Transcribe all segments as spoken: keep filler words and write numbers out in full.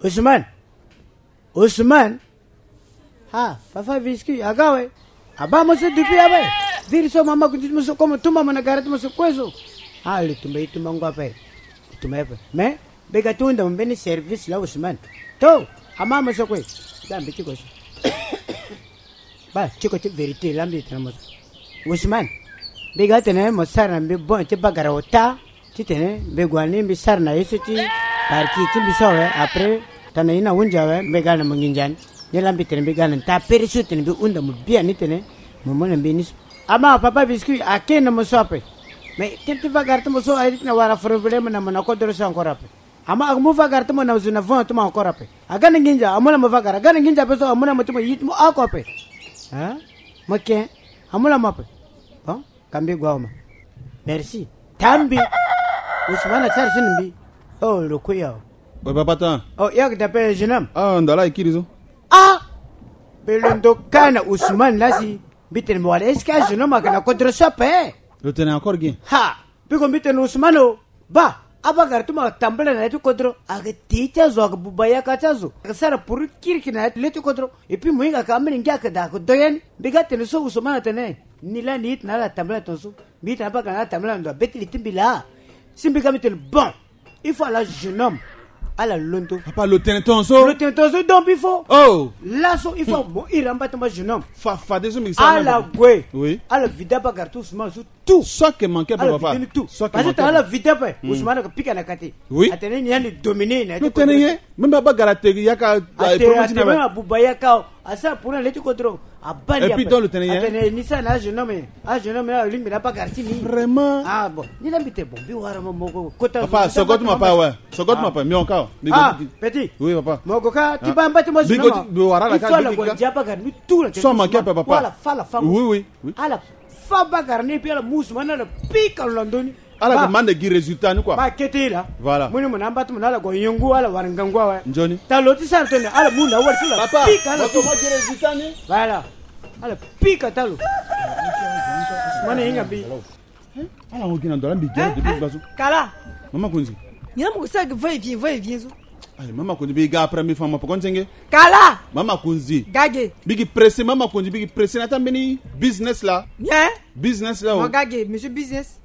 Ousmane. Ousmane. Ha, papa Visky, aga we. Aba mo so dupi abe. Viri so mama kundi mo so komo tumba mo na gara ti mo so kue so. Ha, le tumba ye tumba ngua ape. Tumba ye ape. Mais, mbi ga ti hunda mo mbeni service la Ousmane. To, ama mo so kue. Da mbi ti ko so. Ba, ti ko ti vérité la mbi tene mo so. Ousmane. Mbi ga tene mo sara na mbi bon ti bagara ota. Titene mbi gue ni mbi sara na ye so ti parti ti mbi so awe. Après tana ye na hunzi awe mbi ga na mo nginza ni. Ni la mbi tene mbi ga na nta pere so tene mbi hunda mo biani tene mo mu na mbi ni so. Ama papa Visky ake na mo so ape. Mais tene ti vagara ti mo so aye ti na wara foro vele mo na mo na kodoro so encore ape. Ama aga mu vagara ti mo na zo na vent ti mo encore ape. Aga na nginza amu na mo vagara aga na nginza ape so amu na mo ti mo yi ti mo oko ape. Hein? Mo ken amu na mo ape. Bon. Ka mbi gue awe ma. Merci. Tambi. Ousmane asara si na mbi. Oh, lo kue ya. We papa tan. Oh, ya ke dape jeune homme. Ah, ndala ikiri so. Ah. Mbi londo ka na Ousmane la si. Mbi tene mbi wala est-ce que ajeune homme ake na kodro so ape? Lo tene encore gen. Ha. Mbi ko mbi tene Ousmane o. Ba, abagara ti mo atambula na ya ti kodro, ake te ti azo, ake buba yaka ti azo, ake sara puru kiriki na ya ti le ti kodro. Et puis mo hinga ake ambeni ngia ake da ake do ya ni. Mbi ga tene so Ousmane atene ni laa ni ita na ala atambula tongaso. Mbi ita na abagara na ala atambula na ndo abeti li ti mbi laa. Si mbi ga mbi tene bon. Il faut ala jeune homme ala londo. Papa, lo tene tongaso. Lo tene tongaso, donc il faut. Oh. Laso il faut mo iri amba ti mo jeune homme. Fa fade so mbi sara. Ala gue. Oui. Ala vida abagara ti Ousmane so. Tout. Soit que manqué, papa. Tout. Parce que t'as la vie d'après. Ousmane ka pika na kati. Oui. Atene ni yani dominer na. Lo tene ye. Même baba gara te yaka. Ate ate même abuba yaka. Asa pour le ti kodro. Abali. Et puis dans le tene ye. Atene ni sa na jeune homme. Ah, jeune homme là limbi na bagara ti ni. Vraiment. Ah bon. Ni na mbite bon bi wara mo moko kota. Papa, sogot ma pa, ouais. Sogot ma pa, mais encore. Ah, petit. Oui papa. Moko ka ti ba mbati mo jeune homme. Bi wara la ka. Soit manqué, papa. Voilà, fala femme. Oui oui. Oui. Ala fa bagara ni, et puis ala mu Ousmane, ala pika lo na ndö ni. Ala ga manda gi résultat ni quoi. Ba kete la. Voilà. Mu ni mo na amba ti mo na ala gue yengu, ala wara ngangu awe. Nzoni. Talo ti sara tene, ala mu na wali ti la. Papa, pika ala tu. Mo gi résultat ni. Voilà. Ala pika talo. Ousmane hinga mbi. Ala ngo gi na ndo la mbi gi depuis basu. Kala. Mama Konzi. Ni na mo ko sara va et vient, va et vient so. Ayi, mama Konzi, mbi ga après mbi fa ma poko nzenge. Kala. Mama Konzi. Gage. Mbi gi pressé, mama Konzi, mbi gi pressé na ta mbeni business la. Bien. Business la o. Mo gage, monsieur business.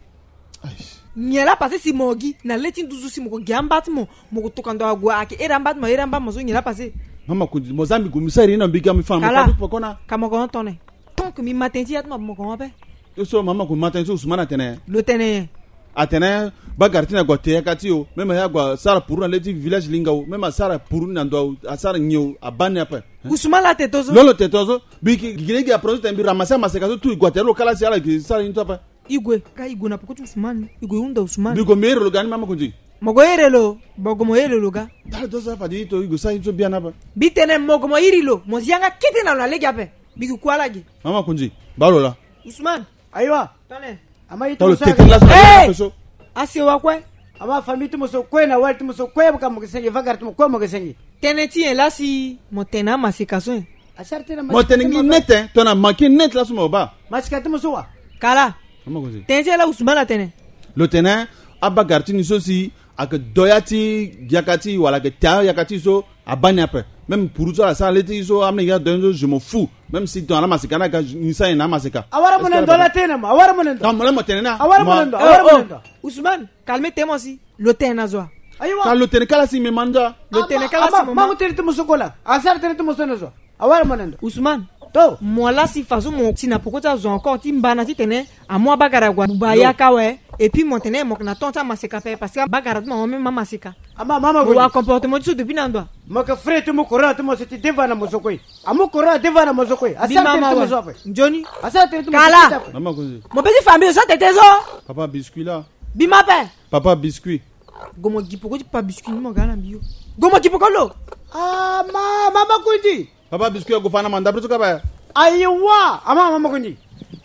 Ayi. Nyen la passé si mo gi na le ti nduzu si mo ko gi amba ti mo, mo ko toka ndo ague ake ere amba ti mo, ere amba mo so nyen la passé. Mama Konzi, mo za mbi gue mbi sara ye na mbi ga mbi fa ma poko na. Kala. Ka mo ko hon tone. Tant que mbi ma tënë ti ya ti mo, mo ko hon ape. Yo so mama Konzi ma tënë so Ousmane atene. Lo tene. Atene bagara ti ni ague ate yaka ti o. Même aya ague asara puru na le ti village linga o. Même asara puru na ndo asara nyen o, abaa ni ape. Ousmane la te to so. Lo lo te to so. Mbi gi lege apre so tene mbi ramassé amaseka so tout, e gue ate lo kala si ala gi sara ni to ape. E gue ka e gue na poko ti Ousmane. E gue e hunda Ousmane. Mbi gue mbi iri lo ga ni mama Konzi. Mo gue iri lo. Bo gue mo iri lo ga. Tala do so afa di to e gue sara ni so biani ape. Mbi tene mo gue mo iri lo, mo zi yanga kete na lo na lege ape. Mbi gi kue ala gi. Mama Konzi, baa lo laa. Ousmane. Ayiwa. Tone. Ama ye ti mo so. Talo tete la so. Hey! Asewa kue. Ama famille ti mo so kue na wali ti mo so kue, ka mo ke senge, vagara ti mo kue mo ke senge. Tënë ti nyen la si mo tene amaseka so nyen? Asara tënë amaseka. Mo tene nyen net, tongana manqué net la so mo baa. Maseka ti mo so wa. Kala. Mama Konzi. Tënë ti nyen la Ousmane atene? Lo tene abagara ti ni so si ake do ya ti yaka ti wala ake te ayaka ti so. Abaa ni ape. Même puru so ala sara le ti so amolenge adoya ni so, je m'en fous. Même si ton ala maseka ni aga ni sara nyen na amaseka. Awara mo na ndo ala tene na mo, awara mo na ndo. Ka mo la mo tene na. Awara mo na ndo, awara mo na ndo. Ousmane, calme te mo si. Lo tene na zo wa. Ayiwa. Ka lo tene kala si me ma ndo. Lo tene kala si mo ma. Mango tene ti mo so kola. Asara tene ti mo so na zo wa. Awara mo na ndo. Ousmane. To. Mo la si faso mo si na poko ti azo encore ti mbana titene amu abagara ague abuba yaka awe. Et puis mo tene mo yeke na temps ti amaseka ape parce que abagara ti mo amu même amaseka. Ama mama Konzi. Wa comportement ti so depuis na ndo wa. Mo yeke frère ti mo, courant ti mo so ti deva na mo so kue. Amu courant adeva na mo so kue. Asara tënë ti mo so ape. Nzoni. Asara tënë ti mo so ape. Kala. Mama Konzi. Mo be ti fa mbi zo tete so. Papa biscuit la. Bi ma ape. Papa biscuit. Gue mo gi poko ti papa biscuit ni mo ga na mbi yo. Gue mo gi poko lo. Ah ma mama Konzi. Papa biscuit ague fa na manda preso kaba. Ayiwa ama mama Konzi.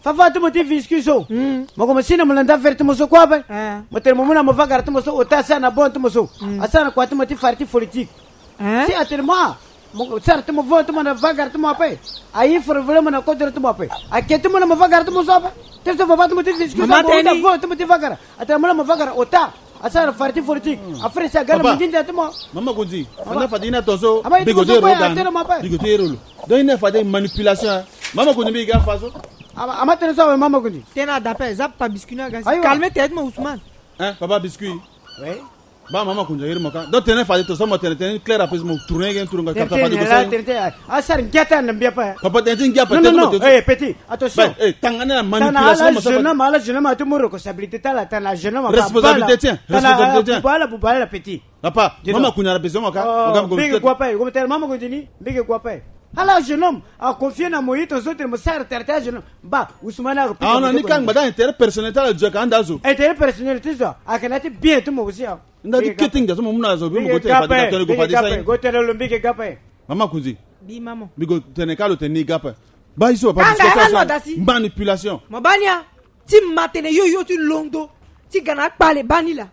Fafa ti mo ti biscuit so. Mo gue mo si na mo landa verre ti mo so kue ape. Mo tene mo mu na mo vagara ti mo so ota asara na bon ti mo so. Asara na kua ti mo ti fari ti politique. Si atene mo ah, mo sara ti mo vo ti mo na vagara ti mo ape. Aye foro vele mo na kodoro ti mo ape. Ake ti mo na mo vagara ti mo so ape. Ti so papa ti mo ti biscuit so mo na vo ti mo ti vagara. Atene mo na mo vagara ota. Asara farti forti. Afere si aga na mingi ndia ti mo. Mama Konzi, anda fade ina tonso. Bigo ti ero ga. Bigo ti ero lo. Donc ina fade manipulation. Mama Konzi mbi ga fa so. Ama tene so awe Mama Konzi. Tena dape zap pa biscuit na gasi. Calme tête mo Ousmane. Hein, papa biscuit. Oui. Ba Mama Konzi iri mo ka. Donc tene fade tonso mo tene tene clair après mo tourner gen tourner ka fade ko sa. Asara ngiata na mbia pa. Papa tene ngia pa. Non non non. Eh petit, attention. Tanga na manipulation. Ala jeune homme, ala jeune homme atu mo responsabilité tala tana jeune homme. Responsabilité tien. Responsabilité tien. Bubala bubala petit. Papa, Mama Konzi ara besoin mo ka. Mbege gua pa. Ko tene Mama Konzi ni mbege gua pa. Ala jeune homme a confier na mo yito so tene mo sara tara tara jeune homme. Ba Ousmane a ko pika. Ah non, ni kanga gbada intérêt personnel tala joka anda zo. Intérêt personnel ti zo. Akena ti bien ti mo aussi. Nda ti kete ngia so mo mu na zo bi mo ko tene fade ka tene go fade sa. Go tene lo mbege ga pa. Mama Konzi. Bi mama. Mbi go tene ka lo tene ni ga pa. Ba iso pa. Manipulation. Mo bani a. Ti ma tene yo yo ti londo ti ga na akpale bani laa.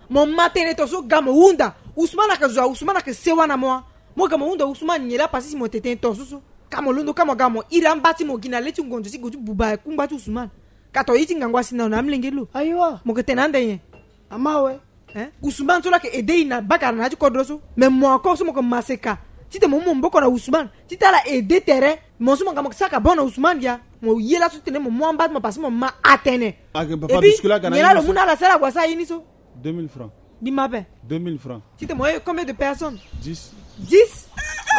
Mo ma tënë tonso ga mo hunda. Ousmane ayeke zo a Ousmane ayeke sewa na mo wa. Mo ga mo hunda Ousmane nyen laa pasi si mo tene tënë tonso so. Ka mo londo ka mo ga mo iri amba ti mo gi na le ti ngonzo ti go ti buba kungba ti Ousmane. Ka to ye ti ngangu asi na lo na amolenge ti lo. Ayiwa. Mo yeke tene ande nyen? Ama awe. Hein? Ousmane so laa yeke aide e na bakara na ya ti kodro so. Mais mo encore so mo yeke maseka titene mo mu mo mboko na Ousmane titene ala aide tere. Mo so mo ga mo saka bon na Ousmane dia. Mo ye laso titene mo mu amba ti mo pasi mo ma atene. Epui nyen laa lo mu na ala sara ague asara ye ni so? Deux mille francs. Mbi ma ape. Deux mille francs. Titene mo ye combien de personnes? Dix. Dix.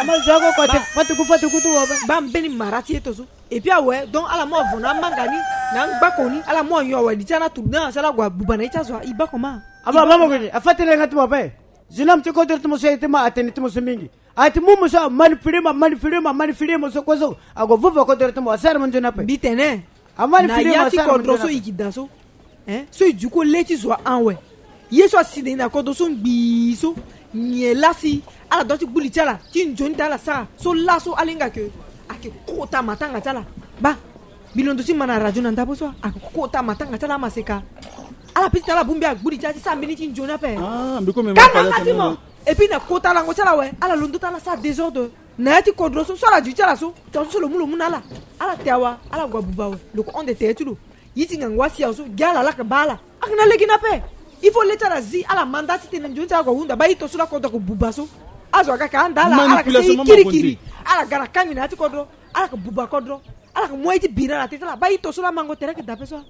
Ama zo oko kote fatuku fatuku ti wo ape. Ba mbeni mara ti ye to so. Epui awe donc ala mu avo na amanga ni na angbako ni ala mu anyo awe li ti ana tourner na sala ague abuba na ye ti azo a e bako ma. Aba aba mo gini afa tënë nga ti mo ape. Jeune homme ti kodro ti mo so ye ti ma atene ti mo so mingi. Ati mu mo so amanipule mo amanipule mo amanipule mo so kue so. Ague vuvu akodro ti mo asara mo nzoni ape. Mbi tene. Amanipule mo asara mo nzoni ape. Na ya ti kodro so e gi daa so. Hein? So e duku le ti zo awe. Ye so asi na e na kodro so ngbii so. Nyen laa si ala dua ti gbu li ti ala ti nzoni ti ala sara so laso ala hinga ke. Ayeke kota matanga ti ala. Ba. Mbi londo ti ma na radio na ndabo so ayeke kota matanga ti ala amaseka. Ala piti na ala bongbi agbu li ti ala ti sara mbeni ti nzoni ape. Kanga nga ti mo. Epui na kota lango ti ala awe ala londo ti ala sara désordre. Na ya ti kodro so so ala duti ti ala so. Tongaso so lo mu lo mu na ala. Ala te awa ala gue abuba awe. Lo ko hon de tere ti lo. Ye ti ngangu asi awe so gi ala ala yeke baa ala. Ayeke na lege ni ape. Il faut le ti ala zi ala ma nda ti tene nzoni ti ala gue ahunda baa ito so laa kodro ayeke buba so. Azo aga ayeke anda ala ala yeke seni kirikiri. Ala ga na kangbi na ya ti kodro. Ala yeke buba kodro. Ala yeke mu aye ti biri na ala te ti ala baa ito so laa mango tere ayeke dape so.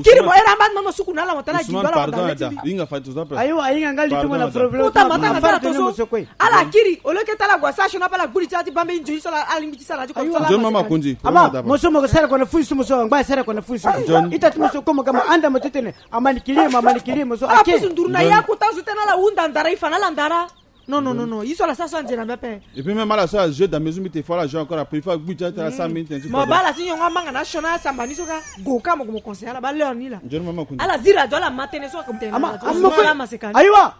Kiri mo here amba ti mo suku na ala mo tara agindo ala mo da le ti mbi. Ayo ahinga nga li ti mo na folo folo. Kota matanga ti ala to so. Ala kiri au lieu ke ti ala gue asara sioni ape ala gbu li ti ala ti baa mbeni nzoni so ala ala lingbi ti sara na ya ti kodro so ala. Ama mo so mo ke sara kona fusi mo so angba sara kona fusi. Ita ti mo so komo ka mo anda mo titene. Amani kili mo amani kili mo so ala ake pusu nduru na ya kota zo tene ala hunda ndara e fa na ala ndara. Non non non non ye so ala sara so anze na mbi ape. Et puis même ala so ala jeu dans maison mbi te fo ala jeu encore après il faut agbu ti ala ti ala sara minute ti mo baa ala ti nyongo amanga na asiona asamba ni so ka. Go ka mo ko mo conseil ala baa l'heure ni laa. Ala zi radio ala ma tënë so ake mo tene na radio so ala ma seka ni. Ayiwa.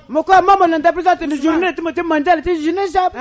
Mo ko ama mo na ndapre so atene journée ti mo ti mandiale ti jeunesse ape.